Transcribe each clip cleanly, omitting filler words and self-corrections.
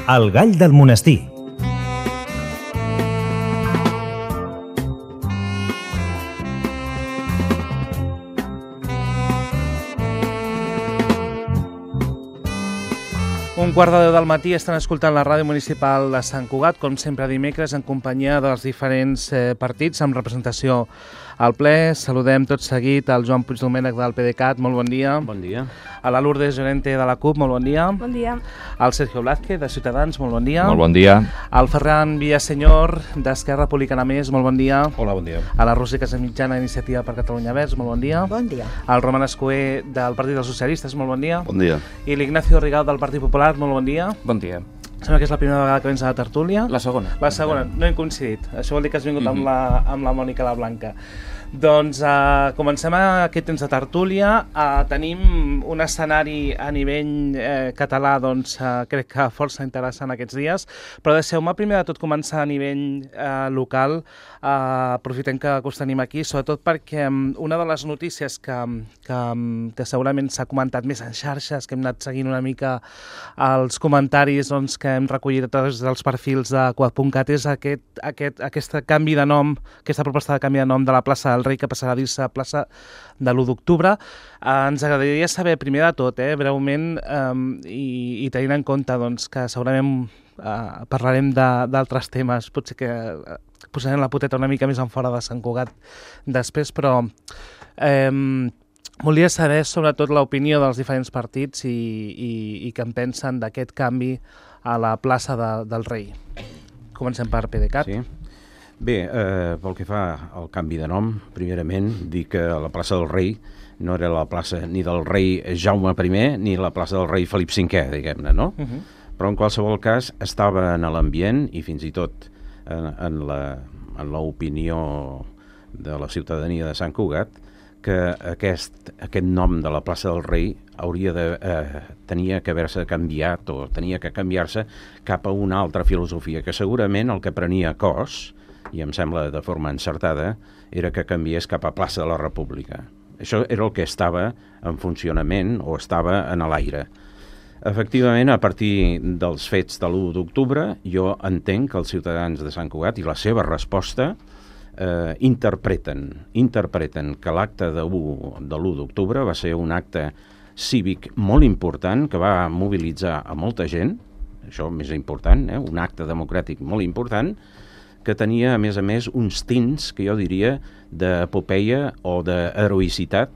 El gall del monestir. Un quart de 10 del matí estan escoltant la ràdio municipal de Sant Cugat, com sempre dimecres, en companyia dels diferents partits, amb representació al ple. Saludem tot seguit al Joan Puigdomènech del PDeCAT, molt bon dia. Bon dia. A la Lourdes Llorente de la CUP, molt bon dia. Bon dia. Al Sergio Blázquez, de Ciutadans, molt bon dia. Molt bon dia. Al Ferran Villasenyor, d'Esquerra Republicana Més, molt bon dia. Hola, bon dia. A la Roser Casamitjana, Iniciativa per Catalunya Verds, molt bon dia. Bon dia. Al Roman Escoer, del Partit dels Socialistes, molt bon dia. Bon dia. I l'Ignacio Rigal, del Partit Popular, molt bon dia. Bon dia. Sembla que és la primera vegada que vens a la tertúlia. La segona. La segona, no hem coincidit. Això vol dir que has vingut amb la Mònica la Blanca. Doncs comencem aquest temps de tertúlia. Tenim un escenari a nivell català, doncs crec que força interessant aquests dies, però deixeu-me primer de tot començar a nivell local. Aprofitem que us tenim aquí, sobretot perquè una de les notícies que segurament s'ha comentat més en xarxes, que hem anat seguint una mica els comentaris que hem recollit a través dels perfils de Cugat.cat, és aquest canvi de nom, aquesta proposta de canvi de nom de la plaça del Rei, que passarà a dir-se plaça de l'1 d'octubre. Ens agradaria saber, primer de tot, breument, i tenint en compte que segurament parlarem d'altres temes, potser que posarem la poteta una mica més en fora de Sant Cugat després, però volia saber sobretot l'opinió dels diferents partits i què en pensen d'aquest canvi a la plaça del Rei. Comencem per PDeCAT. Sí. Bé, pel que fa al canvi de nom, primerament dir que la plaça del Rei no era la plaça ni del rei Jaume I ni la plaça del rei Felip V, diguem-ne, no? Però en qualsevol cas estava en l'ambient i fins i tot en l'opinió de la ciutadania de Sant Cugat que aquest nom de la plaça del Rei tenia que haver-se canviat o tenia que canviar-se cap a una altra filosofia, que segurament el que prenia cos, i em sembla de forma encertada, era que canviés cap a plaça de la República. Això era el que estava en funcionament o estava en l'aire. Efectivament, a partir dels fets de l'1 d'octubre, jo entenc que els ciutadans de Sant Cugat i la seva resposta interpreten que l'acte de l'1 d'octubre va ser un acte cívic molt important que va mobilitzar a molta gent, això més important, un acte democràtic molt important, que tenia, a més, uns tints, que jo diria, d'epopeia o d'heroïcitat,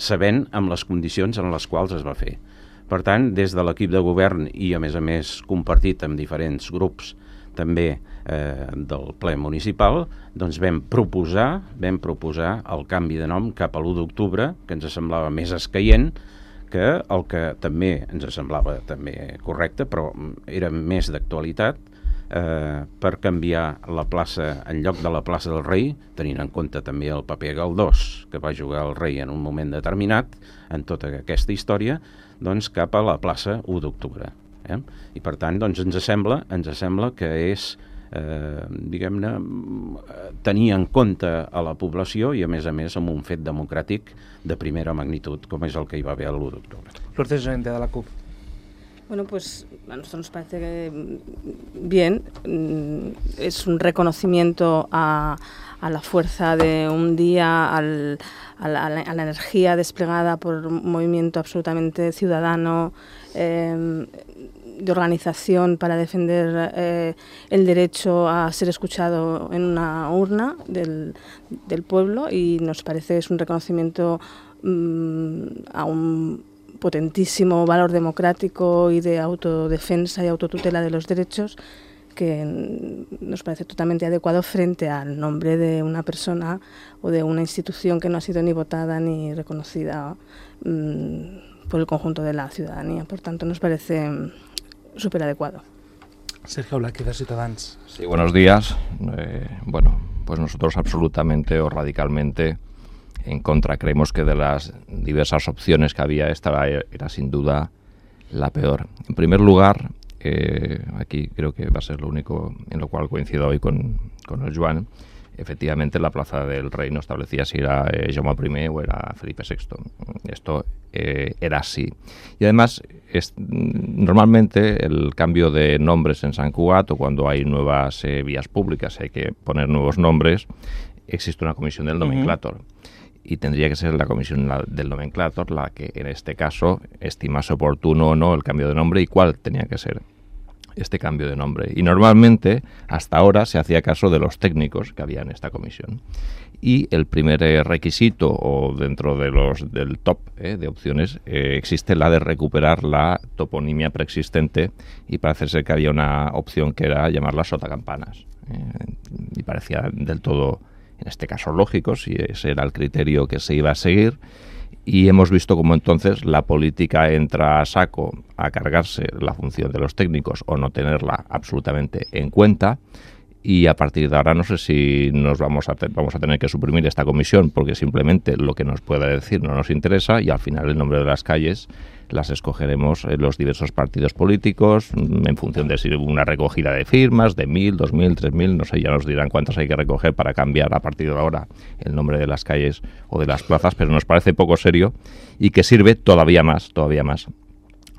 sabent amb les condicions en les quals es va fer. Per tant, des de l'equip de govern i, a més, compartit amb diferents grups també del ple municipal, doncs vam proposar el canvi de nom cap a l'1 d'octubre, que ens semblava més escaient que el que també ens semblava també correcte, però era més d'actualitat, per canviar la plaça en lloc de la plaça del Rei, tenint en compte també el paper galdós que va jugar el rei en un moment determinat en tota aquesta història, doncs cap a la plaça 1 d'octubre. I per tant, doncs, ens sembla que és, diguem-ne, tenir en compte a la població i, a més, amb un fet democràtic de primera magnitud, com és el que hi va haver l'1 d'octubre. Lourdes Llorente, de la CUP. Bueno, pues a nosotros nos parece bien, es un reconocimiento a la fuerza de un día, a la energía desplegada por un movimiento absolutamente ciudadano, de organización para defender el derecho a ser escuchado en una urna del pueblo, y nos parece que es un reconocimiento a un potentísimo valor democrático y de autodefensa y autotutela de los derechos, que nos parece totalmente adecuado frente al nombre de una persona o de una institución que no ha sido ni votada ni reconocida por el conjunto de la ciudadanía. Por tanto, nos parece súper adecuado. Sergio Blázquez, de Ciutadans. Sí, buenos días. Bueno, pues nosotros absolutamente o radicalmente en contra. Creemos que de las diversas opciones que había, esta era sin duda la peor. En primer lugar, aquí creo que va a ser lo único en lo cual coincido hoy con el Joan, efectivamente la Plaza del Rey no establecía si era Jaume I o era Felipe VI. Esto era así. Y además, normalmente el cambio de nombres en Sant Cugat, o cuando hay nuevas vías públicas, hay que poner nuevos nombres, existe una comisión del nomenclator. Y tendría que ser la comisión del nomenclator la que en este caso estimase oportuno o no el cambio de nombre y cuál tenía que ser este cambio de nombre. Y normalmente, hasta ahora, se hacía caso de los técnicos que había en esta comisión. Y el primer requisito, o dentro de del top de opciones, existe la de recuperar la toponimia preexistente, y parece ser que había una opción que era llamarla sotacampanas. Y parecía del todo, en este caso, lógico, si ese era el criterio que se iba a seguir. Y hemos visto cómo entonces la política entra a saco a cargarse la función de los técnicos o no tenerla absolutamente en cuenta. Y a partir de ahora no sé si vamos a tener que suprimir esta comisión porque simplemente lo que nos pueda decir no nos interesa, y al final el nombre de las calles las escogeremos los diversos partidos políticos en función de si una recogida de firmas de 1.000, 2.000, 3.000, no sé, ya nos dirán cuántas hay que recoger para cambiar a partir de ahora el nombre de las calles o de las plazas, pero nos parece poco serio y que sirve todavía más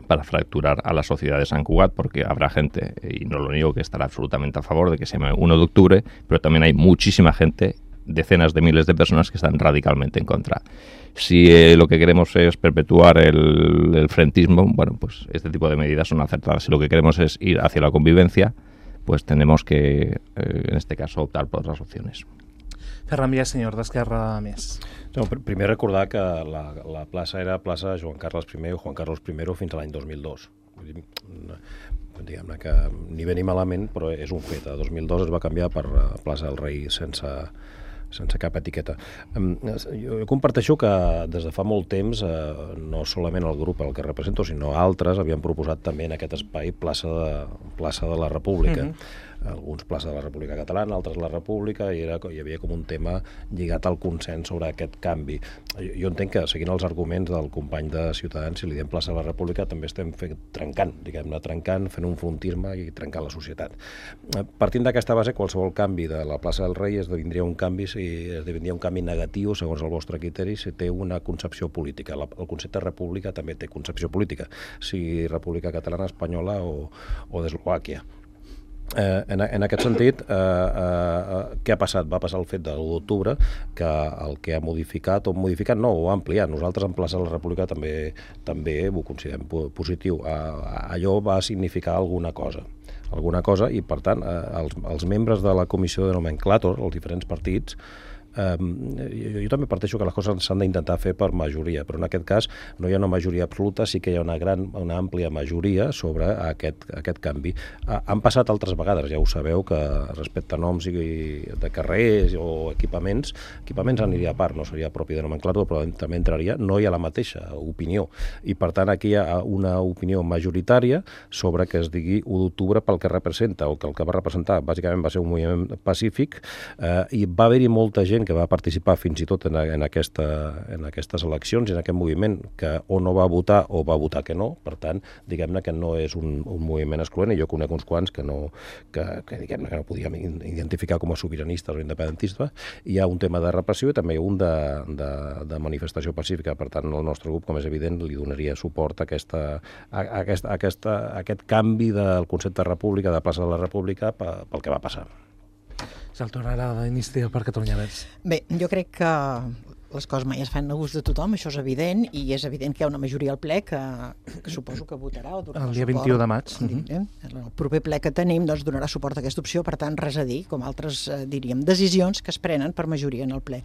para fracturar a la sociedad de Sant Cugat, porque habrá gente, y no lo niego, que estará absolutamente a favor de que se llame 1 de octubre, pero también hay muchísima gente, decenas de miles de personas que están radicalmente en contra. Si lo que queremos es perpetuar el frentismo, bueno, pues este tipo de medidas son acertadas. Si lo que queremos es ir hacia la convivencia, pues tenemos que, en este caso, optar por otras opciones. Ferran Vies, senyor d'Esquerra Més. No, primer recordar que la plaça era plaça Joan Carles I o Juan Carlos I fins a l'any 2002. Vull dir, diguem-ne que ni bé ni malament, però és un fet. A 2002 es va canviar per plaça del Rei sense cap etiqueta. Jo comparteixo que des de fa molt temps, no solament el grup el que represento, sinó altres havien proposat també en aquest espai plaça de la República. Alguns plaça de la República Catalana, altres la República, i hi havia com un tema lligat al consens sobre aquest canvi. Jo entenc que, seguint els arguments del company de Ciutadans, si li diem plaça de la República, també estem trencant, fent un frontisme i trencant la societat. Partint d'aquesta base, qualsevol canvi de la plaça del Rei esdevindria un canvi negatiu, segons el vostre criteri, si té una concepció política. El concepte república també té concepció política, sigui República Catalana, Espanyola o d'Eslovàquia. En aquest sentit, què ha passat? Va passar el fet de l'1 d'octubre, que el que ha modificat, no, ho ha ampliat. Nosaltres en plaça de la República també ho considerem positiu. Allò va significar alguna cosa, i per tant els membres de la comissió de nomenclàtor, els diferents partits, jo també parteixo que les coses s'han d'intentar fer per majoria, però en aquest cas no hi ha una majoria absoluta, sí que hi ha una àmplia majoria sobre aquest canvi. Han passat altres vegades, ja ho sabeu, que respecte a noms de carrers o equipaments aniria a part, no seria propi de nomenclàtor, però també entraria, no hi ha la mateixa opinió, i per tant aquí hi ha una opinió majoritària sobre que es digui 1 d'octubre pel que representa, o que el que va representar bàsicament va ser un moviment pacífic, i va haver-hi molta gent que va participar fins i tot en aquestes eleccions i en aquest moviment, que o no va votar o va votar que no. Per tant, diguem-ne que no és un moviment excloent, i jo conec uns quants que diguem-ne que no podíem identificar com a sobiranistes o independentistes. Hi ha un tema de repressió i també un de manifestació pacífica. Per tant, el nostre grup, com és evident, li donaria suport a aquest canvi del concepte de república, de plaça de la República, pel que va passar. És el torn ara d'Iniciativa per Catalunya Verds. Bé, jo crec que les coses mai es fan a gust de tothom, això és evident, i és evident que hi ha una majoria al ple que suposo que votarà o donarà suport. El dia 21 de maig. El proper ple que tenim donarà suport a aquesta opció, per tant, res a dir, com altres diríem, decisions que es prenen per majoria en el ple.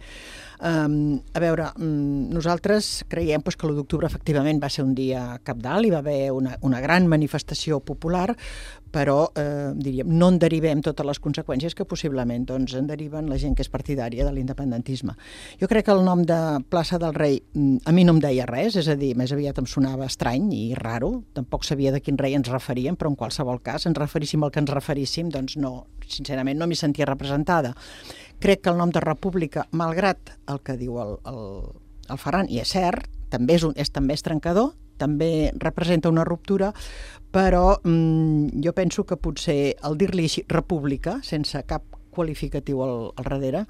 A veure, nosaltres creiem que l'1 d'octubre efectivament va ser un dia cabdal, hi va haver una gran manifestació popular, però diríem, no en derivem totes les conseqüències que possiblement en deriven la gent que és partidària de l'independentisme. Jo crec que el nom de plaça del Rei a mi no em deia res, és a dir, més aviat em sonava estrany i raro, tampoc sabia de quin rei ens referíem, però en qualsevol cas ens referíssim al que ens referíssim, doncs no, sincerament no m'hi sentia representada. Crec que el nom de República, malgrat el que diu el Ferran, i és cert, també és trencador, també representa una ruptura, però jo penso que potser el dir-li així República, sense cap qualificatiu al darrere,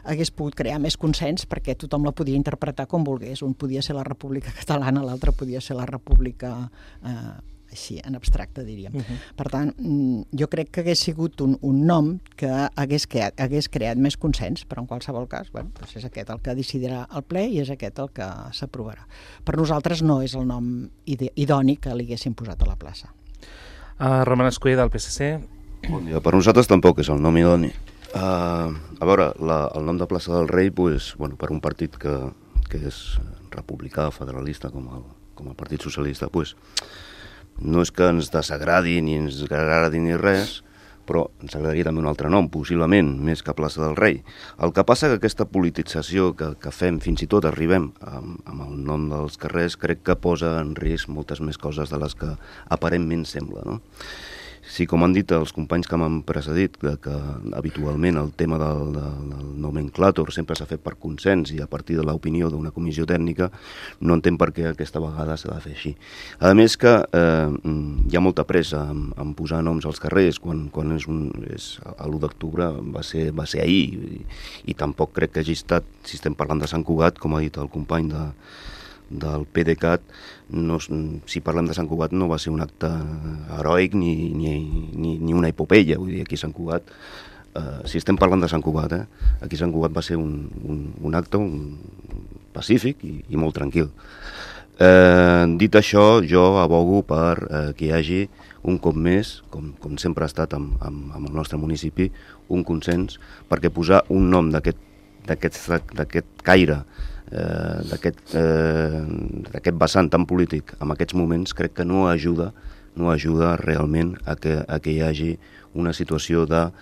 hagués pogut crear més consens perquè tothom la podia interpretar com volgués. Un podia ser la República Catalana, l'altre podia ser la República així, en abstracte, diríem. Per tant, jo crec que hagués sigut un nom que hagués creat més consens, però en qualsevol cas, bueno, doncs és aquest el que decidirà el ple i és aquest el que s'aprovarà. Per nosaltres no és el nom idoni que li haguéssim posat a la plaça. Roman Escull, del PSC. Bon dia. Per nosaltres tampoc és el nom idoni. A veure, el nom de Plaça del Rei, pues, bueno, per un partit que és republicà, federalista, com el Partit Socialista, pues, no és que ens desagradi ni ens agradi ni res, però ens agradaria també un altre nom, possiblement, més que Plaça del Rei. El que passa que aquesta politització que fem, fins i tot arribem amb el nom dels carrers, crec que posa en risc moltes més coses de les que aparentment sembla, no? Sí, com han dit els companys que m'han precedit, que habitualment el tema del nomenclàtor sempre s'ha fet per consens i a partir de l'opinió d'una comissió tècnica, no entenc per què aquesta vegada s'ha de fer així. A més que hi ha molta pressa en posar noms als carrers, quan l'1 d'octubre va ser ahir, i tampoc crec que hagi estat, si estem parlant de Sant Cugat, com ha dit el company del PDeCAT, si parlem de Sant Cugat no va ser un acte heroic ni una epopeia, vull dir, aquí a Sant Cugat, si estem parlant de Sant Cugat, aquí a Sant Cugat va ser un acte pacífic i molt tranquil. Dit això, jo abogo per que hi hagi un cop més, com sempre ha estat amb el nostre municipi, un consens, perquè posar un nom d'aquest caire, d'aquest vessant tan polític en aquests moments, crec que no ajuda realment a que hi hagi una situació de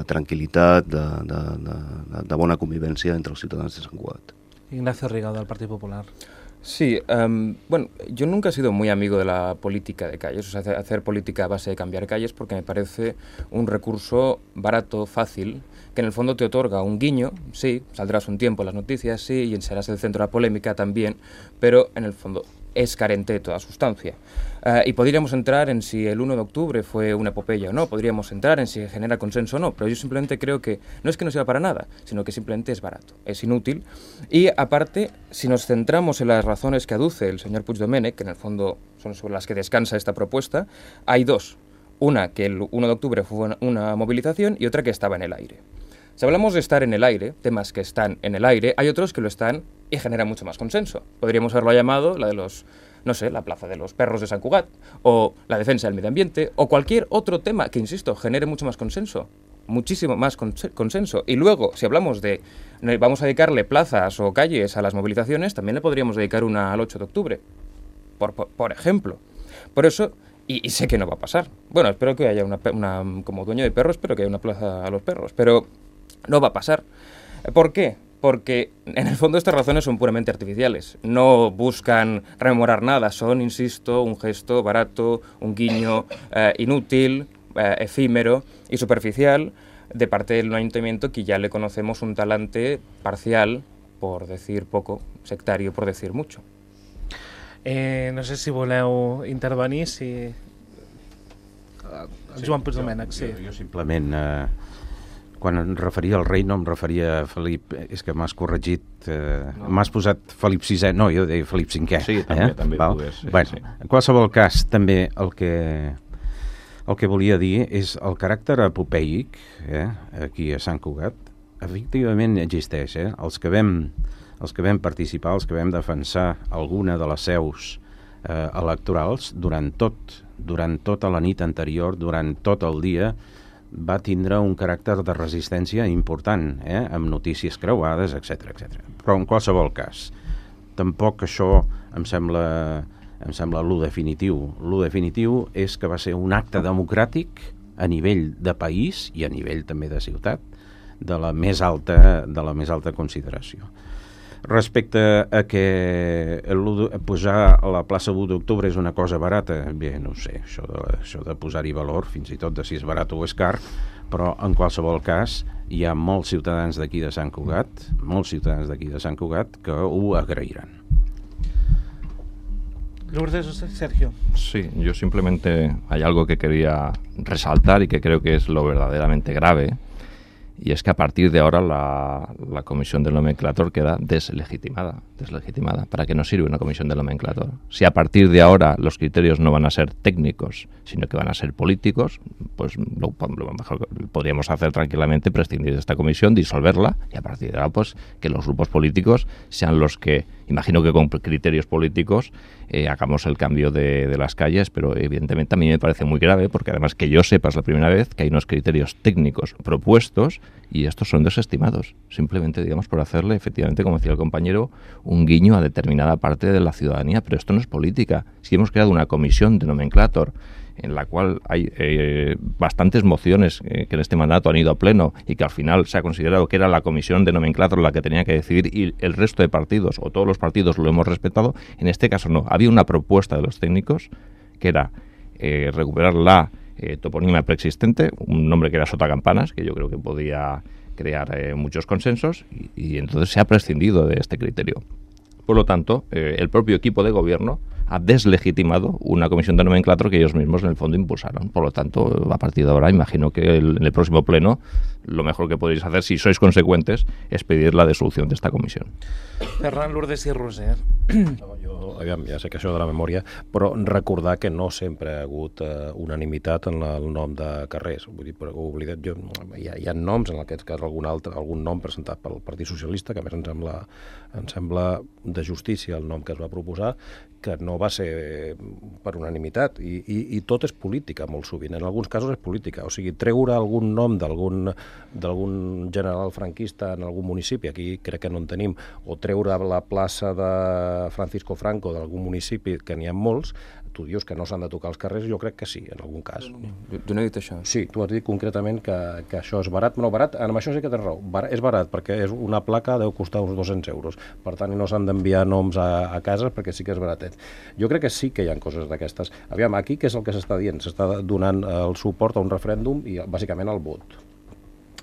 tranquil·litat, de bona convivència entre els ciutadans de Sant Cugat. Ignacio Rigau, del Partido Popular. Sí, bueno, yo nunca he sido muy amigo de la política de calles, o sea, hacer política a base de cambiar calles, porque me parece un recurso barato, fácil, que en el fondo te otorga un guiño, sí, saldrás un tiempo en las noticias, sí, y serás el centro de la polémica también, pero en el fondo es carente de toda sustancia. Y podríamos entrar en si el 1 de octubre fue una epopeya o no, podríamos entrar en si genera consenso o no, pero yo simplemente creo que no es que no sirva para nada, sino que simplemente es barato, es inútil. Y aparte, si nos centramos en las razones que aduce el señor Puigdomènech, que en el fondo son sobre las que descansa esta propuesta, hay dos. Una, que el 1 de octubre fue una movilización, y otra que estaba en el aire. Si hablamos de estar en el aire, temas que están en el aire, hay otros que lo están y generan mucho más consenso. Podríamos haberlo llamado la de los, no sé, la plaza de los perros de Sant Cugat, o la defensa del medio ambiente, o cualquier otro tema que, insisto, genere mucho más consenso, muchísimo más consenso. Y luego, si hablamos de, vamos a dedicarle plazas o calles a las movilizaciones, también le podríamos dedicar una al 8 de octubre, por ejemplo. Por eso, y sé que no va a pasar. Bueno, espero que haya como dueño de perros, espero que haya una plaza a los perros, pero no va a pasar. ¿Por qué? Porque en el fondo estas razones son puramente artificiales. No buscan rememorar nada, son, insisto, un gesto barato, un guiño inútil, efímero y superficial de parte del ayuntamiento, que ya le conocemos un talante parcial, por decir poco, sectario por decir mucho. No sé si voleu intervenir, si... Joan Puigdomènech, sí. Jo simplement... Quan em referia al rei no em referia a Felip, és que m'has corregit, no. M'has posat Felip VI, no, jo deia Felip V. Sí, també pogués. Sí, bueno, sí. En qualsevol cas, també el que volia dir és el caràcter epopeic, aquí a Sant Cugat, efectivament existeix. Els que vam participar, els que vam defensar alguna de les seus electorals, durant tota la nit anterior, durant tot el dia, va tindre un caràcter de resistència important, amb notícies creuades, etc. Però en qualsevol cas, tampoc això em sembla lo definitiu. Lo definitiu és que va ser un acte democràtic a nivell de país i a nivell també de ciutat de la més alta consideració. Respecte a que posar a la plaça 1 d'octubre és una cosa barata, bé, no ho sé, això de posar-hi valor, fins i tot de si és barat o és car, però en qualsevol cas hi ha molts ciutadans d'aquí de Sant Cugat, que ho agrairan. Lourdes, Sergio. Sí, yo simplemente hay algo que quería resaltar y que creo que es lo verdaderamente grave, y es que a partir de ahora la comisión del nomenclator queda deslegitimada. ¿Para qué nos sirve una comisión del nomenclator? Si a partir de ahora los criterios no van a ser técnicos, sino que van a ser políticos, pues lo mejor que podríamos hacer tranquilamente, prescindir de esta comisión, disolverla, y a partir de ahora pues que los grupos políticos sean los que, imagino que con criterios políticos, hagamos el cambio de las calles, pero evidentemente a mí me parece muy grave, porque además que yo sepa es la primera vez que hay unos criterios técnicos propuestos y estos son desestimados, simplemente digamos por hacerle efectivamente, como decía el compañero, un guiño a determinada parte de la ciudadanía, pero esto no es política. Si hemos creado una comisión de nomenclator en la cual hay bastantes mociones que en este mandato han ido a pleno y que al final se ha considerado que era la comisión de nomenclator la que tenía que decidir y el resto de partidos o todos los partidos lo hemos respetado, en este caso no. Había una propuesta de los técnicos que era recuperar la toponimia preexistente, un nombre que era Sotacampanas, que yo creo que podía crear muchos consensos y entonces se ha prescindido de este criterio. Por lo tanto, el propio equipo de gobierno ha deslegitimado una comisión de nomenclator que ellos mismos en el fondo impulsaron. Por lo tanto, a partir de ahora, imagino que en el próximo pleno lo mejor que podéis hacer, si sois consecuentes, és pedir la dissolució d'esta comissió. Ferran, Lourdes i Roser. Jo, ja sé que això de la memòria, però recordar que no sempre ha hagut unanimitat en el nom de carrers. Vull dir, oblidat, hi ha noms, en aquest cas algun nom presentat pel Partit Socialista, que a més em sembla de justícia el nom que es va proposar, que no va ser per unanimitat, i tot és política molt sovint, en alguns casos és política, o sigui, treure algun nom d'algun general franquista en algun municipi, aquí crec que no en tenim, o treure la plaça de Francisco Franco d'algun municipi, que n'hi ha molts, tu dius que no s'han de tocar els carrers, jo crec que sí, en algun cas. Jo no he dit això. Sí, tu has dit concretament que això és barat. No, barat, amb això sí que tens raó. És barat, perquè és una placa deu costar uns 200 euros. Per tant, no s'han d'enviar noms a cases perquè sí que és baratet. Jo crec que sí que hi ha coses d'aquestes. Aviam, aquí què és el que s'està dient? S'està donant el suport a un referèndum i bàsicament al vot.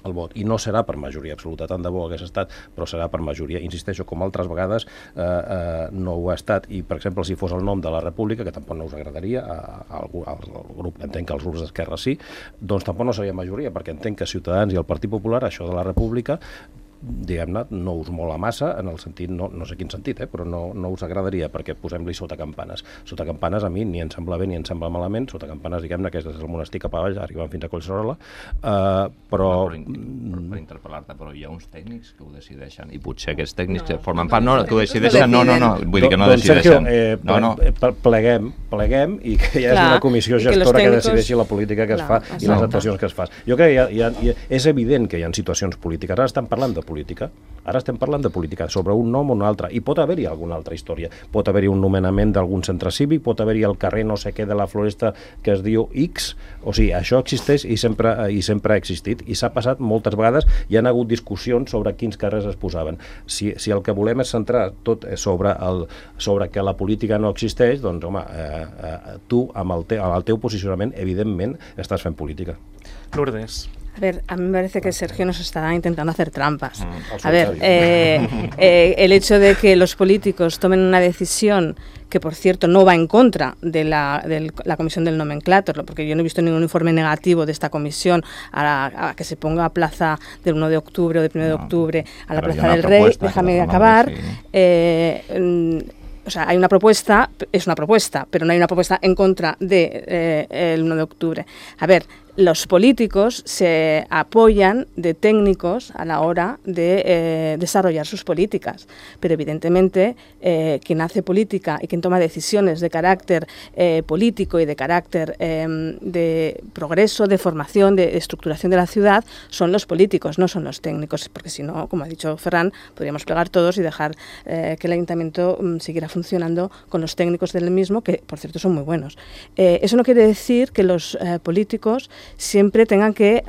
I no serà per majoria absoluta, tant de bo hagués estat, però serà per majoria. Insisteixo, com altres vegades no ho ha estat, i per exemple si fos el nom de la República, que tampoc no us agradaria al grup, entenc que als grups d'Esquerra sí, doncs tampoc no seria majoria, perquè entenc que Ciutadans i el Partit Popular, això de la República, diguem-ne, no us mola massa, en el sentit, no sé quin sentit, però no us agradaria, perquè posem-li Sotacampanes. Sotacampanes a mi ni em sembla bé ni em sembla malament. Sotacampanes, diguem-ne, que és des del monestir cap avall, arribant fins a Collserola, però... Per interpel·lar-te, però hi ha uns tècnics que ho decideixen, i potser aquests tècnics que formen part, no, que ho decideixen, no, vull dir que no decideixen. Pleguem i que hi hagi una comissió gestora que decideixi la política que es fa i les actuacions que es fa. Jo crec que és evident que hi ha situacions polítiques. Ara estem parlant de política, sobre un nom o un altre, i pot haver-hi alguna altra història, pot haver-hi un nomenament d'algun centre cívic, pot haver-hi el carrer no sé què de la Floresta que es diu X, o sigui, això existeix i sempre ha existit, i s'ha passat moltes vegades, hi ha hagut discussions sobre quins carrers es posaven. Si el que volem és centrar tot sobre que la política no existeix, doncs home, tu amb el teu posicionament evidentment estàs fent política. Lourdes. A ver, a mí me parece que Sergio nos está intentando hacer trampas. A ver, el hecho de que los políticos tomen una decisión que, por cierto, no va en contra de la comisión del nomenclator, porque yo no he visto ningún informe negativo de esta comisión a que se ponga a plaza del 1 de octubre o del 1 de octubre a la Plaza del Rey. Déjame acabar. O sea, hay una propuesta, es una propuesta, pero no hay una propuesta en contra del 1 de octubre. A ver, los políticos se apoyan de técnicos a la hora de desarrollar sus políticas, pero evidentemente quien hace política y quien toma decisiones de carácter político y de carácter de progreso, de formación, de estructuración de la ciudad, son los políticos, no son los técnicos, porque si no, como ha dicho Ferran, podríamos plegar todos y dejar que el ayuntamiento siguiera funcionando con los técnicos del mismo, que por cierto son muy buenos. Eso no quiere decir que los políticos siempre tengan que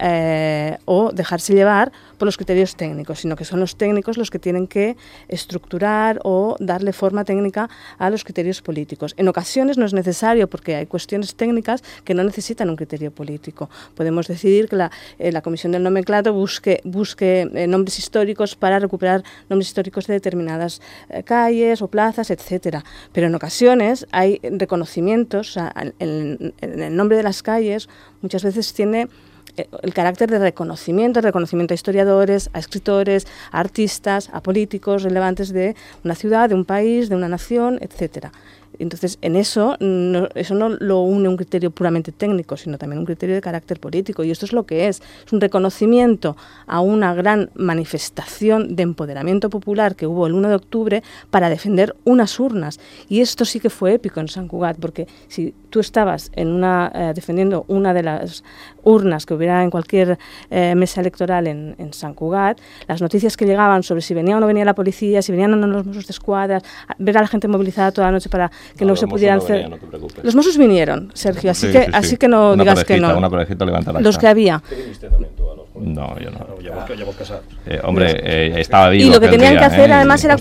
o dejarse llevar por los criterios técnicos, sino que son los técnicos los que tienen que estructurar o darle forma técnica a los criterios políticos. En ocasiones no es necesario, porque hay cuestiones técnicas que no necesitan un criterio político. Podemos decidir que la Comisión del Nomenclator busque nombres históricos para recuperar nombres históricos de determinadas calles o plazas, etcétera. Pero en ocasiones hay reconocimientos, o sea, en el nombre de las calles muchas veces tiene el carácter de reconocimiento a historiadores, a escritores, a artistas, a políticos relevantes de una ciudad, de un país, de una nación, etcétera. Entonces, en eso no lo une un criterio puramente técnico, sino también un criterio de carácter político. Y esto es lo que es un reconocimiento a una gran manifestación de empoderamiento popular que hubo el 1 de octubre para defender unas urnas. Y esto sí que fue épico en Sant Cugat, porque si tú estabas defendiendo una de las urnas que hubiera en cualquier mesa electoral en Sant Cugat, las noticias que llegaban sobre si venía o no venía la policía, si venían o no los Mossos d'Esquadra, ver a la gente movilizada toda la noche para que no se pudieran hacer... No te preocupes. Los Mossos vinieron, Sergio, así que no una digas que no. Una parejita levanta la Los que había. No, yo no. Ya vos casado. Hombre, estaba vivo. Y lo que tenían que hacer además era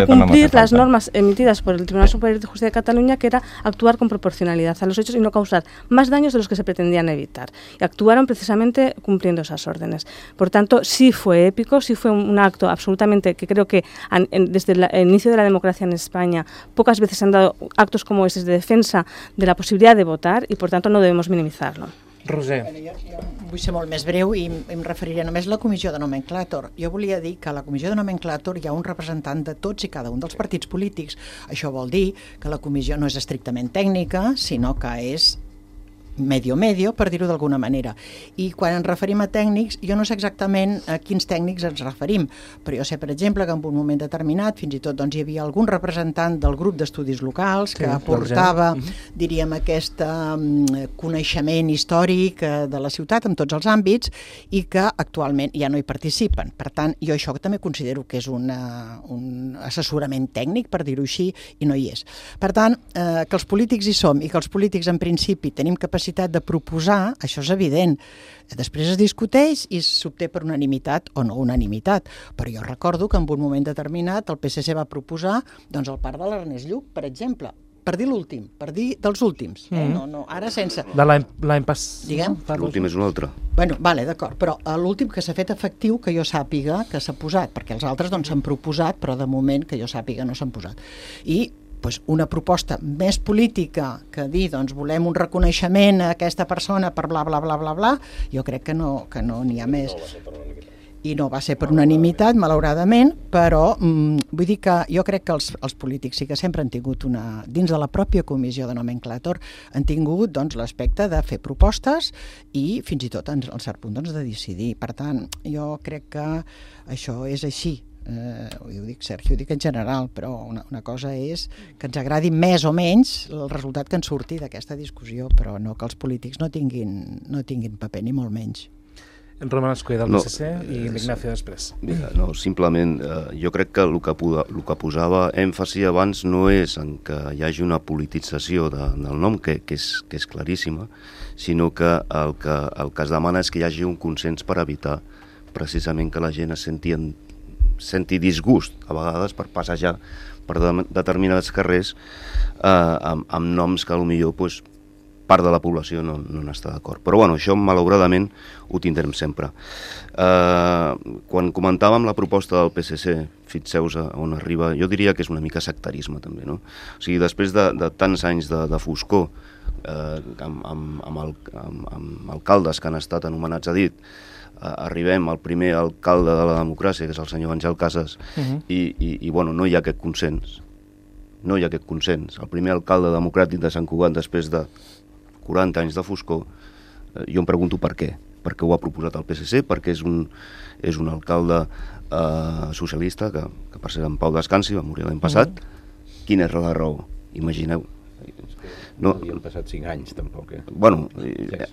cumplir las normas emitidas por el Tribunal Superior de Justicia de Cataluña, que era actuar con proporcionalidad a los hechos y no causar más daños de los que se pretendían evitar. Y actuaron precisamente cumpliendo esas órdenes. Por tanto, sí fue épico, sí fue un acto absolutamente que creo que desde el inicio de la democracia en España pocas veces se han dado actos como estos de defensa de la posibilidad de votar y por tanto no debemos minimizarlo. Roser. Jo vull ser molt més breu i em referiré només a la comissió de nomenclàtor. Jo volia dir que a la comissió de nomenclàtor hi ha un representant de tots i cada un dels partits polítics. Això vol dir que la comissió no és estrictament tècnica, sinó que és medio, per dir-ho d'alguna manera. I quan ens referim a tècnics, jo no sé exactament a quins tècnics ens referim, però jo sé, per exemple, que en un moment determinat fins i tot hi havia algun representant del grup d'estudis locals que aportava, diríem, aquest coneixement històric de la ciutat en tots els àmbits i que actualment ja no hi participen. Per tant, jo això també considero que és un assessorament tècnic, per dir-ho així, i no hi és. Per tant, que els polítics hi som i que els polítics en principi tenim capacitat de proposar, això és evident. Després es discuteix i s'obté per unanimitat o no unanimitat. Però jo recordo que en un moment determinat el PSC va proposar el parc de l'Ernest Lluch, per exemple, per dir l'últim, per dir dels últims. No, ara sense... De l'any passat. Diguem? L'últim és un altre. Bueno, vale, d'acord, però l'últim que s'ha fet efectiu, que jo sàpiga, que s'ha posat, perquè els altres s'han proposat, però de moment que jo sàpiga no s'han posat. I una proposta més política que dir, volem un reconeixement a aquesta persona per bla, bla, bla, bla, bla, jo crec que no n'hi ha més. I no va ser per unanimitat, malauradament, però vull dir que jo crec que els polítics sí que sempre han tingut dins de la pròpia comissió de nomenclàtor, han tingut l'aspecte de fer propostes i fins i tot, en cert punt, de decidir. Per tant, jo crec que això és així. Ho dic, Sergio, ho dic en general, però una cosa és que ens agradi més o menys el resultat que en surti d'aquesta discussió, però no que els polítics no tinguin paper, ni molt menys. En Roman Escull del PSC i l'Ignacio després. No, simplement, jo crec que el que posava èmfasi abans no és en que hi hagi una politització del nom, que és claríssima, sinó que el que es demana és que hi hagi un consens per evitar precisament que la gent es senti disgust a vegades per passejar per determinats carrers amb noms que potser part de la població no n'està d'acord. Però bueno, això malauradament ho tindrem sempre. Quan comentàvem la proposta del PSC, fixeu-vos on arriba, jo diria que és una mica sectarisme també, no? O sigui, després de tants anys de foscor amb alcaldes que han estat anomenats a dit, arribem al primer alcalde de la democràcia, que és el senyor Àngel Casas, i bueno, no hi ha aquest consens. No hi ha aquest consens. El primer alcalde democràtic de Sant Cugat, després de 40 anys de foscor, jo em pregunto per què. Per què ho ha proposat el PSC, perquè és un alcalde socialista, que per ser en Pau descansi, va morir l'any passat. Quina és la raó? Imagineu. No havien passat 5 anys, tampoc. Bueno,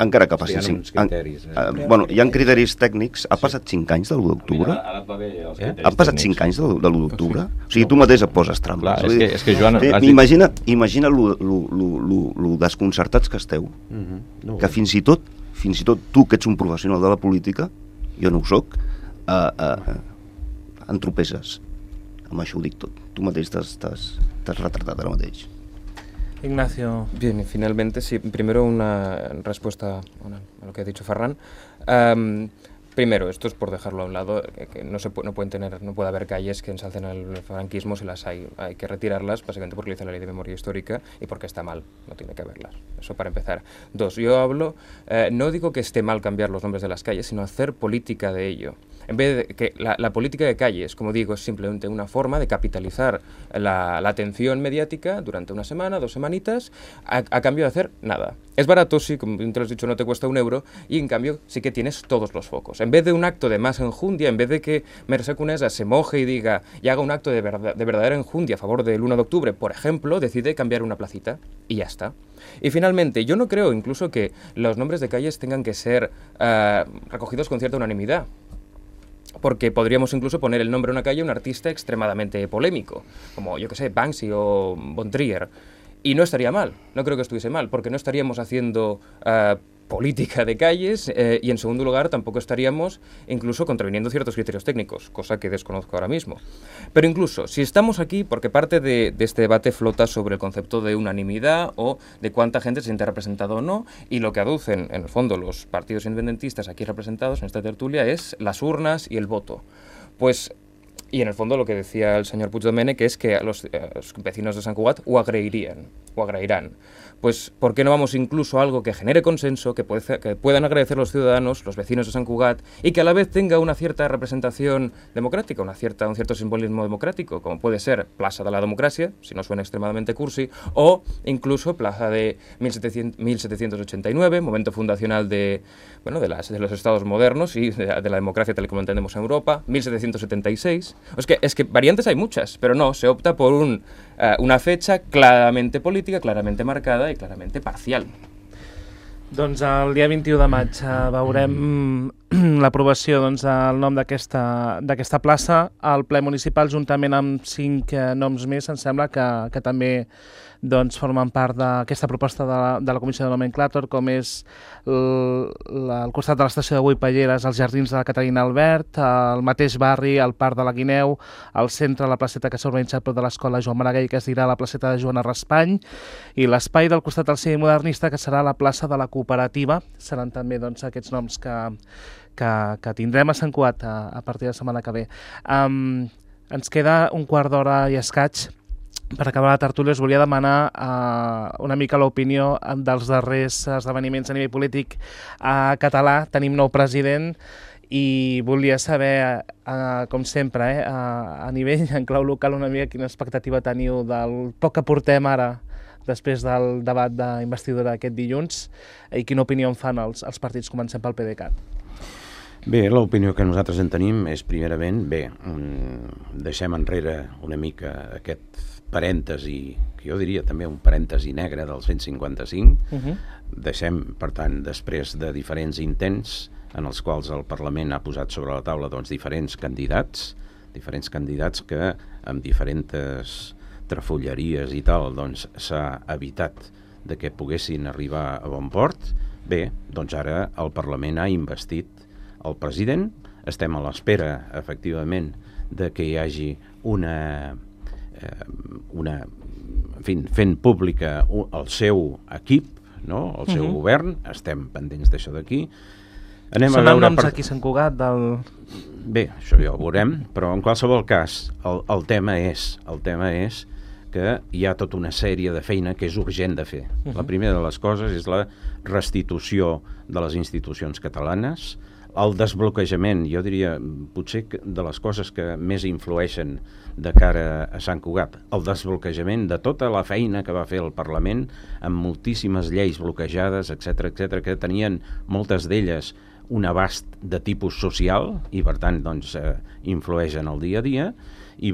encara que passi 5 anys. Bueno, hi ha criteris tècnics. Ha passat 5 anys de l'1 d'octubre? Ha passat 5 anys de l'1 d'octubre? O sigui, tu mateix et poses trampes. És que Joan... Imagina lo desconcertats que esteu, que fins i tot tu, que ets un professional de la política, jo no ho soc, entropesses. Amb això ho dic tot. Tu mateix t'has retratat ara mateix. Ignacio. Bien, y finalmente, sí, primero una respuesta a lo que ha dicho Ferran. Primero, esto es por dejarlo a un lado, que no puede haber calles que ensalcen el franquismo si las hay. Hay que retirarlas, básicamente porque lo dice la Ley de Memoria Histórica y porque está mal, no tiene que haberlas. Eso para empezar. Dos, yo hablo, no digo que esté mal cambiar los nombres de las calles, sino hacer política de ello. En vez de que la política de calles, como digo, es simplemente una forma de capitalizar la atención mediática durante una semana, 2 semanitas, a cambio de hacer nada. Es barato, sí, como te lo has dicho, no te cuesta €1, y en cambio sí que tienes todos los focos. En vez de un acto de más enjundia, en vez de que Mercè Conesa se moje y diga y haga un acto de verdadera enjundia a favor del 1 de octubre, por ejemplo, decide cambiar una placita y ya está. Y finalmente, yo no creo incluso que los nombres de calles tengan que ser recogidos con cierta unanimidad. Porque podríamos incluso poner el nombre de una calle a un artista extremadamente polémico, como, yo que sé, Banksy o Von Trier. Y no estaría mal, no creo que estuviese mal, porque no estaríamos haciendo política de calles y, en segundo lugar, tampoco estaríamos incluso contraviniendo ciertos criterios técnicos, cosa que desconozco ahora mismo. Pero incluso, si estamos aquí, porque parte de este debate flota sobre el concepto de unanimidad o de cuánta gente se siente representado o no, y lo que aducen, en el fondo, los partidos independentistas aquí representados en esta tertulia es las urnas y el voto. Pues... Y en el fondo lo que decía el señor Puigdomènech es que los vecinos de Sant Cugat ho agrairán. Pues, ¿por qué no vamos incluso a algo que genere consenso, que puedan agradecer los ciudadanos, los vecinos de Sant Cugat, y que a la vez tenga una cierta representación democrática, un cierto simbolismo democrático, como puede ser Plaça de la Democràcia, si no suena extremadamente cursi, o incluso Plaza de 1789, momento fundacional de los estados modernos y de la democracia tal como entendemos en Europa, 1776. Es que variantes hay muchas, pero no, se opta por una fecha claramente política, claramente marcada i clarament parcial. Doncs el dia 21 de maig veurem l'aprovació del nom d'aquesta plaça. El ple municipal, juntament amb 5 noms més, em sembla que també formen part d'aquesta proposta de la Comissió de Nomenclàtor, com és al costat de l'estació de Boipelleres, els jardins de la Caterina Albert, el mateix barri, el Parc de la Guineu, al centre, la placeta que s'ha urbanitzat prop de l'escola Joan Maragall, que es dirà la placeta de Joana Raspany, i l'espai del costat del cine modernista, que serà la plaça de la Cooperativa. Seran també aquests noms que tindrem a Sant Cugat a partir de la setmana que ve. Ens queda un quart d'hora i escaig. Per acabar la tertúlia us volia demanar una mica l'opinió dels darrers esdeveniments a nivell polític català. Tenim nou president i volia saber, com sempre, a nivell en clau local, una mica quina expectativa teniu del poc que portem ara després del debat d'investidura aquest dilluns i quina opinió en fan els partits. Comencem pel PDeCAT. Bé, l'opinió que nosaltres en tenim és, primerament, deixem enrere una mica aquest parèntesi, que jo diria també un parèntesi negre del 155. Deixem, per tant, després de diferents intents en els quals el Parlament ha posat sobre la taula diferents candidats que amb diferents trafolleries i tal s'ha evitat de que poguessin arribar a bon port. Bé, doncs ara el Parlament ha investit el president. Estem a l'espera, efectivament, de que hi hagi fent pública el seu equip, no? El seu govern. Estem pendents d'això d'aquí. Sonen noms aquí a Sant Cugat del... Bé, això ja ho veurem, però en qualsevol cas el tema és que hi ha tota una sèrie de feina que és urgent de fer. La primera de les coses és la restitució de les institucions catalanes, el desbloquejament, jo diria, potser de les coses que més influeixen de cara a Sant Cugat, el desbloquejament de tota la feina que va fer el Parlament amb moltíssimes lleis bloquejades, etc., que tenien moltes d'elles un abast de tipus social i, per tant, influeix en el dia a dia i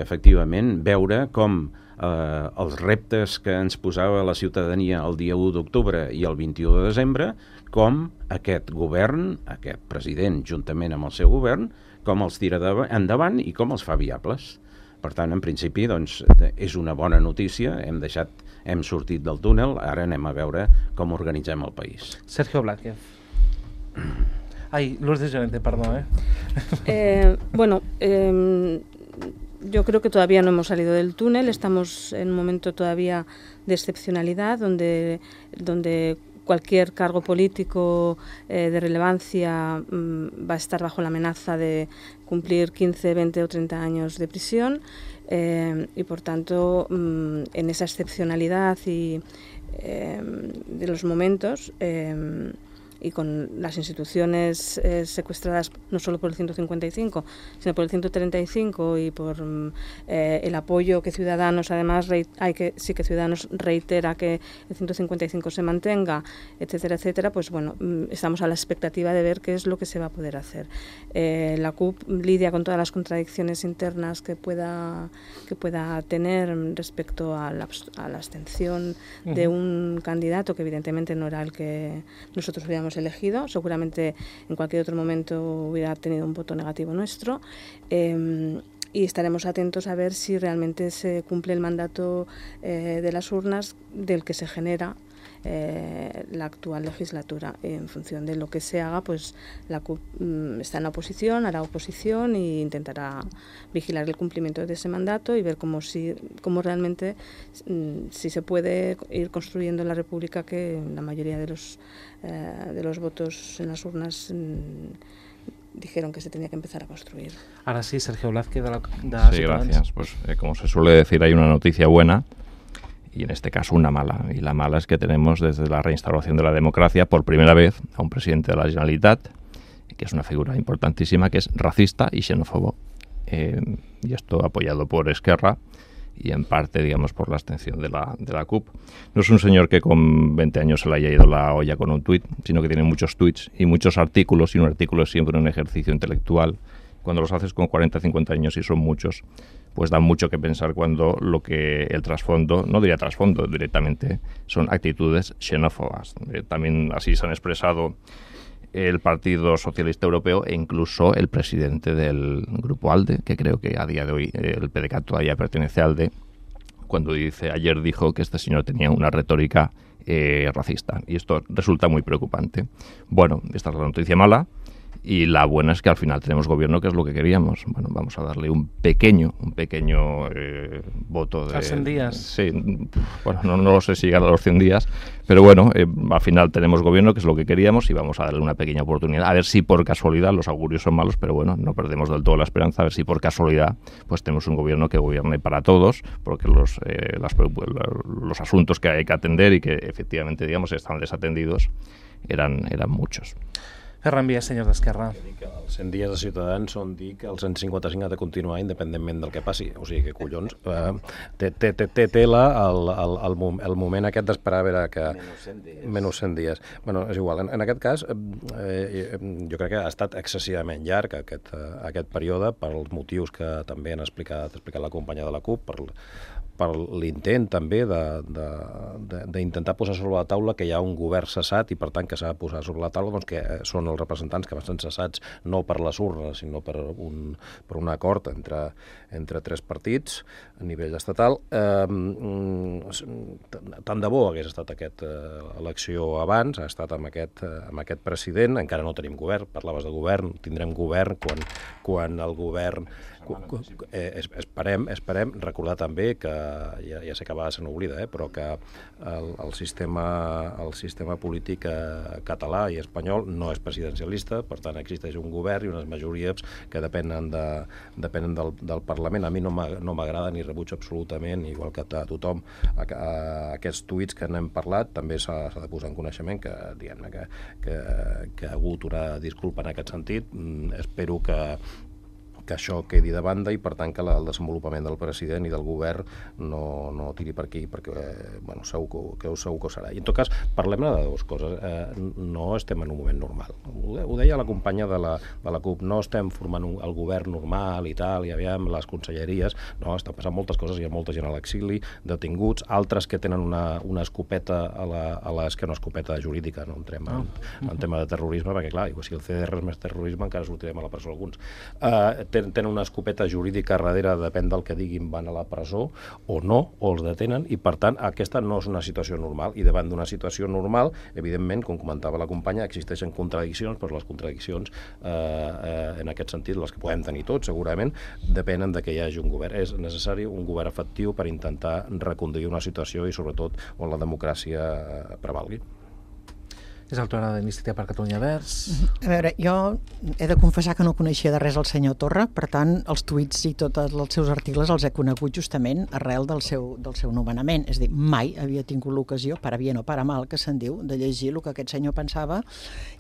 efectivament veure com els reptes que ens posava la ciutadania el dia 1 d'octubre i el 21 de desembre, com aquest govern, aquest president, juntament amb el seu govern, com els tira endavant i com els fa viables. Per tant, en principi, és una bona notícia, hem sortit del túnel, ara anem a veure com organitzem el país. Sergio Blázquez. Ay, Lourdes Llorente, perdón. Yo creo que todavía no hemos salido del túnel, estamos en un momento todavía de excepcionalidad, donde cualquier cargo político de relevancia va a estar bajo la amenaza de cumplir 15, 20 o 30 años de prisión y por tanto en esa excepcionalidad y de los momentos y con las instituciones secuestradas no solo por el 155, sino por el 135 y por el apoyo que Ciudadanos, además, Ciudadanos reitera que el 155 se mantenga, etcétera, etcétera, pues bueno, estamos a la expectativa de ver qué es lo que se va a poder hacer. La CUP lidia con todas las contradicciones internas que pueda tener respecto a la abstención de un candidato que evidentemente no era el que nosotros hubiéramos elegido, seguramente en cualquier otro momento hubiera tenido un voto negativo nuestro, y estaremos atentos a ver si realmente se cumple el mandato de las urnas del que se genera la actual legislatura. En función de lo que se haga, pues la CUP está en la oposición, hará oposición e intentará vigilar el cumplimiento de ese mandato y ver cómo realmente si se puede ir construyendo la república que la mayoría de los votos en las urnas dijeron que se tenía que empezar a construir. Ahora sí, Sergio Blázquez de Sí, gracias. Pues como se suele decir, hay una noticia buena y en este caso una mala. Y la mala es que tenemos desde la reinstauración de la democracia por primera vez a un presidente de la Generalitat, que es una figura importantísima, que es racista y xenófobo. Y esto apoyado por Esquerra y en parte, digamos, por la abstención de la CUP. No es un señor que con 20 años se le haya ido la olla con un tuit, sino que tiene muchos tuits y muchos artículos, y un artículo es siempre un ejercicio intelectual. Cuando los haces con 40, 50 años y son muchos, pues da mucho que pensar cuando el trasfondo, no diría trasfondo directamente, son actitudes xenófobas. También así se han expresado el Partido Socialista Europeo e incluso el presidente del Grupo ALDE, que creo que a día de hoy el PDeCAT todavía pertenece a ALDE, cuando ayer dijo que este señor tenía una retórica racista. Y esto resulta muy preocupante. Bueno, esta es la noticia mala. Y la buena es que al final tenemos gobierno, que es lo que queríamos. Bueno, vamos a darle un pequeño voto de... ¿A 100 días? Sí, bueno, no lo sé si llegar a los 100 días, pero bueno, al final tenemos gobierno, que es lo que queríamos, y vamos a darle una pequeña oportunidad. A ver si por casualidad, los augurios son malos, pero bueno, no perdemos del todo la esperanza, a ver si por casualidad pues tenemos un gobierno que gobierne para todos, porque los asuntos que hay que atender y que efectivamente, digamos, están desatendidos eran muchos. Ferran Vies, senyor d'Esquerra. Els 100 dies de Ciutadans són dir que el 155 ha de continuar independentment del que passi. O sigui que, collons, té tela el moment aquest d'esperar a veure que... Menys 100 dies. Bueno, és igual. En aquest cas, jo crec que ha estat excessivament llarg aquest període pels motius que també han explicat la companya de la CUP, per l'intent també d'intentar posar sobre la taula que hi ha un govern cessat i per tant que s'ha de posar sobre la taula doncs, que són els representants que van ser cessats no per les urnes sinó per un acord entre tres partits a nivell estatal. Tant de bo hagués estat aquesta elecció abans, ha estat amb aquest president, encara no tenim govern, parlaves de govern, tindrem govern quan el govern... Esperem recordar també que ja sé que a vegades se n'oblida, però que el sistema polític català i espanyol no és presidencialista, per tant existeix un govern i unes majories que depenen del Parlament. A mi no m'agrada ni rebutjo absolutament, igual que a tothom, aquests tuits que n'hem parlat. També s'ha de posar en coneixement que ha hagut una disculpa en aquest sentit. Espero que això quedi de banda i per tant que el desenvolupament del president i del govern no tiri per aquí, perquè segur que ho serà. I en tot cas, parlem-ne de dues coses. No estem en un moment normal. Ho deia la companya de la CUP, no estem formant el govern normal i tal, i aviam les conselleries, no, estan passant moltes coses, hi ha molta gent a l'exili, detinguts, altres que tenen una escopeta que una escopeta jurídica, no entrem en tema de terrorisme, perquè clar, si el CDR és més terrorisme encara sortirem a la presó alguns. Tenen una escopeta jurídica darrere, depèn del que diguin, van a la presó o no, o els detenen, i per tant aquesta no és una situació normal, i davant d'una situació normal, evidentment, com comentava la companya, existeixen contradiccions, però les contradiccions en aquest sentit, les que podem tenir tots segurament, depenen de que hi hagi un govern. És necessari un govern efectiu per intentar reconduir una situació i sobretot on la democràcia prevalgui. És l'autora d'Iniciativa per Catalunya Verds. A veure, jo he de confessar que no coneixia de res el senyor Torra, per tant, els tuits i tots els seus articles els he conegut justament arrel del seu nomenament. És a dir, mai havia tingut l'ocasió, para bien o para mal, que se'n diu, de llegir el que aquest senyor pensava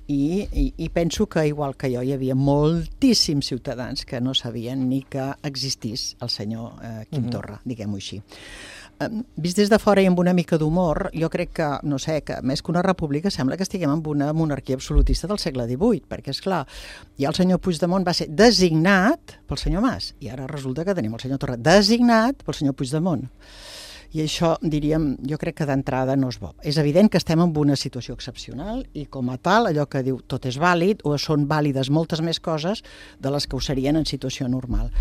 i penso que, igual que jo, hi havia moltíssims ciutadans que no sabien ni que existís el senyor Quim Torra, diguem-ho així. Vist des de fora i amb una mica d'humor, jo crec que, no sé, que més que una república sembla que estiguem en una monarquia absolutista del segle XVIII, perquè, esclar, ja el senyor Puigdemont va ser designat pel senyor Mas, i ara resulta que tenim el senyor Torra designat pel senyor Puigdemont. I això, diríem, jo crec que d'entrada no és bo. És evident que estem en una situació excepcional i, com a tal, allò que diu tot és vàlid, o són vàlides moltes més coses de les que ho serien en situació normal.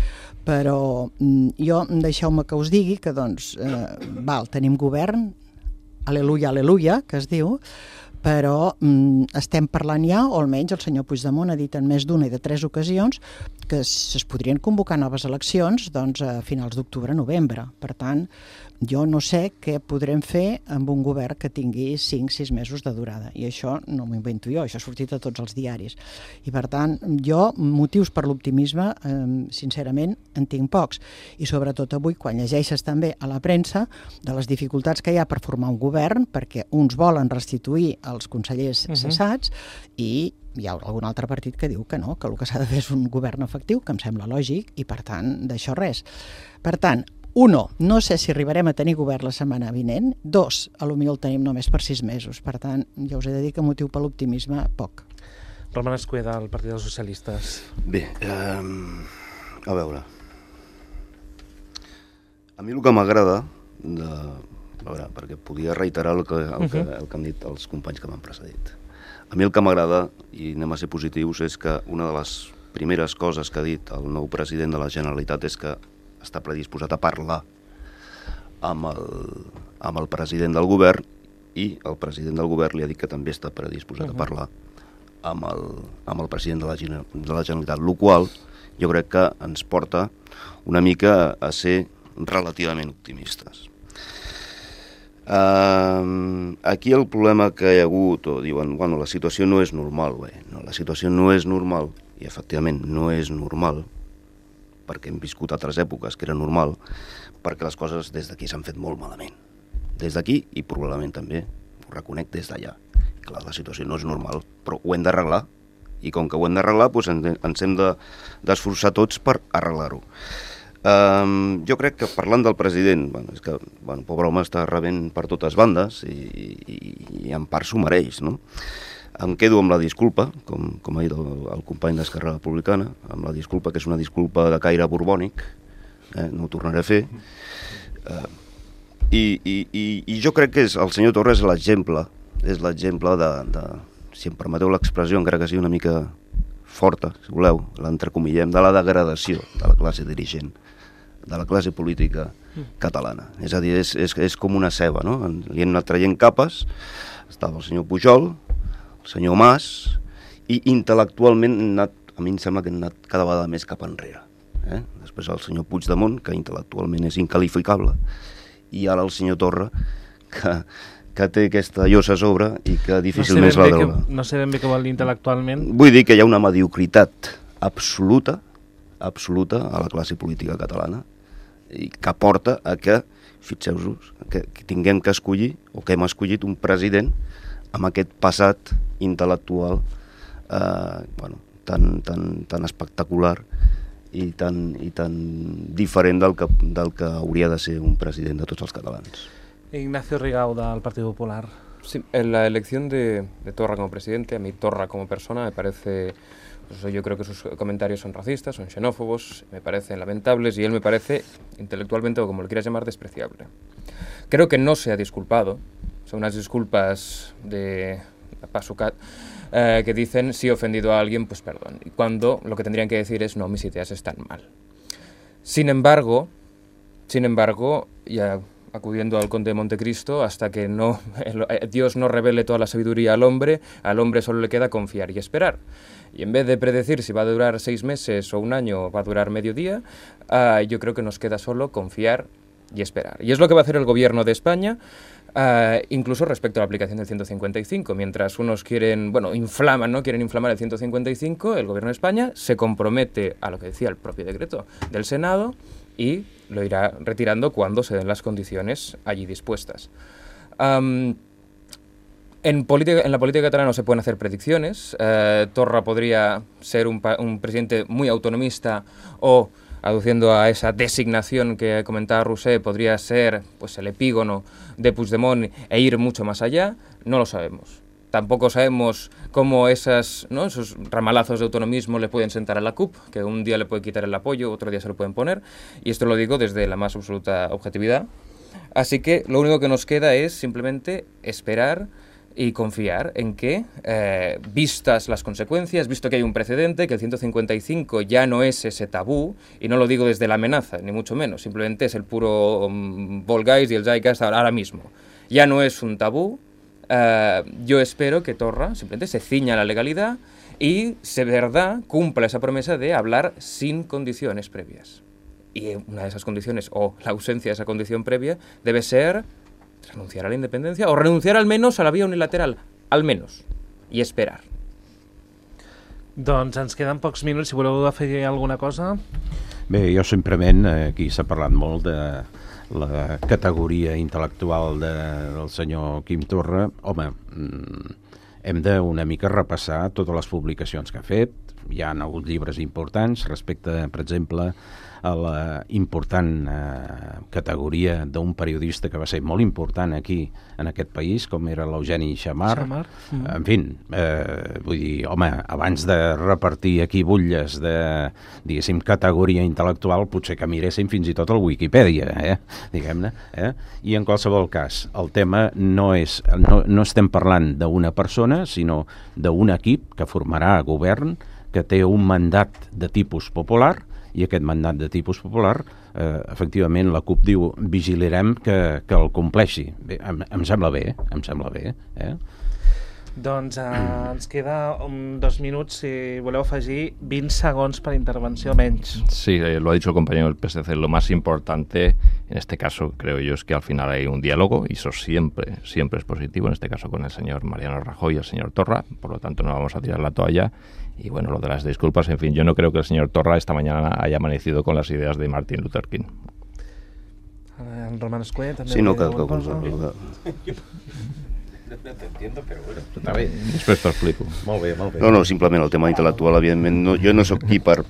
Però jo, deixeu-me que us digui que, doncs, tenim govern, aleluia, aleluia, que es diu, però estem parlant ja, o almenys el senyor Puigdemont ha dit en més d'una i de 3 ocasions, que es podrien convocar noves eleccions a finals d'octubre-novembre. Per tant, jo no sé què podrem fer amb un govern que tingui 5-6 mesos de durada. I això no m'ho invento jo, això ha sortit a tots els diaris. I per tant, jo, motius per l'optimisme, sincerament, en tinc pocs. I sobretot avui, quan llegeixes també a la premsa de les dificultats que hi ha per formar un govern, perquè uns volen restituir els consellers cessats i hi ha algun altre partit que diu que no, que el que s'ha de fer és un govern efectiu, que em sembla lògic, i per tant, d'això res. Per tant, 1, no sé si arribarem a tenir govern la setmana vinent. 2, potser el tenim només per 6 mesos. Per tant, ja us he de dir que motiu per l'optimisme, poc. Roman Escueda, del Partit dels Socialistes. Bé, a veure. A mi el que m'agrada, perquè podia reiterar el que han dit els companys que m'han precedit. A mi el que m'agrada, i anem a ser positius, és que una de les primeres coses que ha dit el nou president de la Generalitat és que està predisposat a parlar amb el president del govern, i el president del govern li ha dit que també està predisposat a parlar amb el president de la Generalitat, el qual jo crec que ens porta una mica a ser relativament optimistes. Aquí el problema que hi ha hagut, o diuen, bueno, la situació no és normal, la situació no és normal, i efectivament no és normal, perquè hem viscut altres èpoques que era normal, perquè les coses des d'aquí s'han fet molt malament. Des d'aquí, i probablement també, ho reconec, des d'allà. Clar, la situació no és normal, però ho hem d'arreglar, i com que ho hem d'arreglar, doncs ens hem d'esforçar tots per arreglar-ho. Jo crec que parlant del president, és que el pobre home està rebent per totes bandes i en part s'ho mereix, no? Em quedo amb la disculpa, com ha dit el company d'Esquerra Republicana, amb la disculpa que és una disculpa de caire borbònic, no ho tornaré a fer, i jo crec que el senyor Torra és l'exemple de, si em permeteu l'expressió, encara que sigui una mica forta, si voleu, l'entrecomillem, de la degradació de la classe dirigent, de la classe política catalana. És a dir, és com una ceba, no? Li hem anat traient capes, estava el senyor Pujol, el senyor Mas, i intel·lectualment a mi em sembla que hem anat cada vegada més cap enrere. Després el senyor Puigdemont, que intel·lectualment és incalificable, i ara el senyor Torra, que té aquesta llosa a sobre i que difícilment és la droga. No sé ben bé què vol dir intel·lectualment. Vull dir que hi ha una mediocritat absoluta a la classe política catalana, i que porta a que, fixeu-vos, que tinguem que escollir, o que hem escollit un president amb aquest passat intel·lectual tan espectacular i tan diferent del que hauria de ser un president de tots els catalans. Ignacio Rigau, del Partido Popular. Sí, en la elección de Torra como presidente, a mí Torra como persona me parece... yo creo que sus comentarios son racistas, son xenófobos, me parecen lamentables, y él me parece intelectualmente, o como lo quieras llamar, despreciable. Creo que no se ha disculpado, son unas disculpas de Pasucat, que dicen, si he ofendido a alguien, pues perdón, y cuando lo que tendrían que decir es, no, mis ideas están mal. Sin embargo, ya acudiendo al conde de Montecristo, hasta que Dios no revele toda la sabiduría al hombre solo le queda confiar y esperar. Y en vez de predecir si va a durar 6 meses o un año o va a durar medio día, yo creo que nos queda solo confiar y esperar. Y es lo que va a hacer el gobierno de España. incluso respecto a la aplicación del 155. Mientras unos quieren inflamar el 155, el Gobierno de España se compromete a lo que decía el propio decreto del Senado y lo irá retirando cuando se den las condiciones allí dispuestas. En la política catalana no se pueden hacer predicciones. Torra podría ser un presidente muy autonomista o, aduciendo a esa designación que comentaba Rousset, podría ser pues el epígono de Puigdemont e ir mucho más allá. No lo sabemos. Tampoco sabemos cómo esos ramalazos de autonomismo le pueden sentar a la CUP, que un día le puede quitar el apoyo, otro día se lo pueden poner, y esto lo digo desde la más absoluta objetividad. Así que lo único que nos queda es simplemente esperar y confiar en que, vistas las consecuencias, visto que hay un precedente, que el 155 ya no es ese tabú, y no lo digo desde la amenaza, ni mucho menos, simplemente es el puro Volksgeist y el Zeitgeist ahora mismo. Ya no es un tabú. Yo espero que Torra simplemente se ciña a la legalidad y, de verdad, cumpla esa promesa de hablar sin condiciones previas. Y una de esas condiciones, o la ausencia de esa condición previa, debe ser renunciar a la independencia o renunciar al menos a la vía unilateral, al menos, i esperar. Doncs ens queden pocs minuts, si voleu afegir alguna cosa. Bé, jo simplement, aquí s'ha parlat molt de la categoria intel·lectual del senyor Quim Torra. Home, hem de una mica repassar totes les publicacions que ha fet. Hi ha hagut llibres importants respecte, per exemple, a la important categoria d'un periodista que va ser molt important aquí, en aquest país, com era l'Eugeni Xammar. En fi, vull dir, home, abans de repartir aquí butlles de, diguéssim, categoria intel·lectual, potser que miréssim fins i tot el Wikipedia, diguem-ne. I en qualsevol cas, el tema no estem parlant d'una persona, sinó d'un equip que formarà govern, que té un mandat de tipus popular, i aquest mandat de tipus popular, efectivament, la CUP diu vigilarem que el compleixi. Bé, em sembla bé, Doncs ens queda 2 minuts, si voleu afegir 20 segons per intervenció menys. Sí, lo ha dicho el compañero del PSC, lo más importante en este caso, creo yo, es que al final hay un diálogo, y eso siempre es positivo, en este caso con el señor Mariano Rajoy y el señor Torra, por lo tanto no vamos a tirar la toalla. Y bueno, lo de las disculpas, en fin, yo no creo que el señor Torra esta mañana haya amanecido con las ideas de Martin Luther King. El Roman Escuet també... Sí, no, que T'entiendo, però bueno, està bé. Després t'ho explico. Molt bé. No, simplement el tema intel·lectual, evidentment, jo no sóc aquí per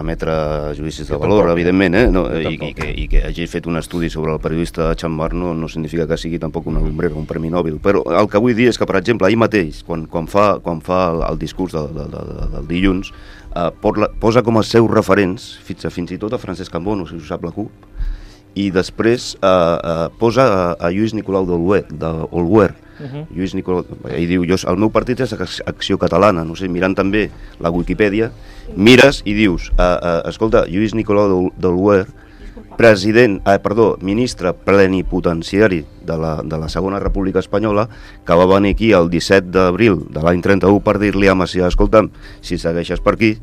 emetre judicis de valor, evidentment, i que hagi fet un estudi sobre el periodista Xammar no significa que sigui tampoc una lumbrera, un premi Nobel, però el que vull dir és que, per exemple, ahir mateix, quan fa el discurs del dilluns, posa com a seus referents, fins i tot a Francesc Cambó, no sé si ho sap la CUP, i després posa a Lluís Nicolau d'Olwer. Lluís Nicolau, i diu, el meu partit és Acció Catalana, no sé, mirant també la Wikipedia, mires i dius, escolta, Lluís Nicolau d'Olwer, ministre plenipotenciari de la Segona República Espanyola, que va venir aquí el 17 d'abril de l'any 31 per dir-li a Macià, escolta'm, si segueixes per aquí,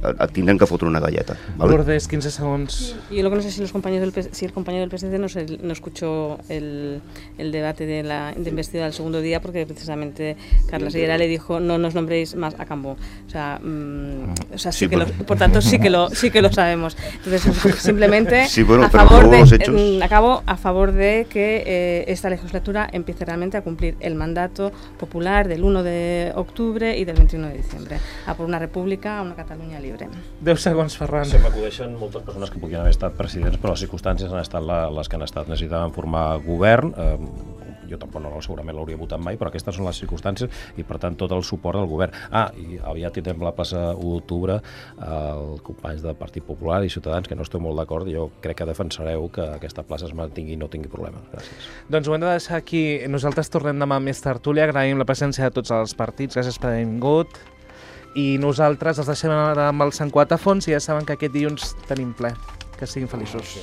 et tindrem que fotre una galleta. ¿Vale? Lourdes, 15 segundos. Yo lo que no sé si el compañero del PSC no escuchó el debate de investidura del segundo día, porque precisamente Carla Sierra le dijo no nos nombréis más a Cambó. O sea, sí que por tanto sí que lo sabemos. Entonces, simplemente sí, bueno, a favor de que esta legislatura empiece realmente a cumplir el mandato popular del 1 de octubre y del 21 de diciembre, a por una república, a una Catalunya lliure. 10 segons, Ferran. Se m'acudeixen moltes persones que podien haver estat presidents, però les circumstàncies han estat les que han estat. Necessitaven formar govern, jo tampoc segurament l'hauria votat mai, però aquestes són les circumstàncies i, per tant, tot el suport del govern. I aviat tindrem la plaça 1 d'octubre, els companys del Partit Popular i Ciutadans, que no estic molt d'acord, jo crec que defensareu que aquesta plaça es mantingui i no tingui problemes. Gràcies. Doncs ho hem de deixar aquí. Nosaltres tornem demà amb més tertúlia. Agraïm la presència de tots els partits. Gràcies per haver vingut. I nosaltres els deixem ara amb el Sant Quatafons i ja saben que aquest dilluns tenim ple. Que siguin feliços.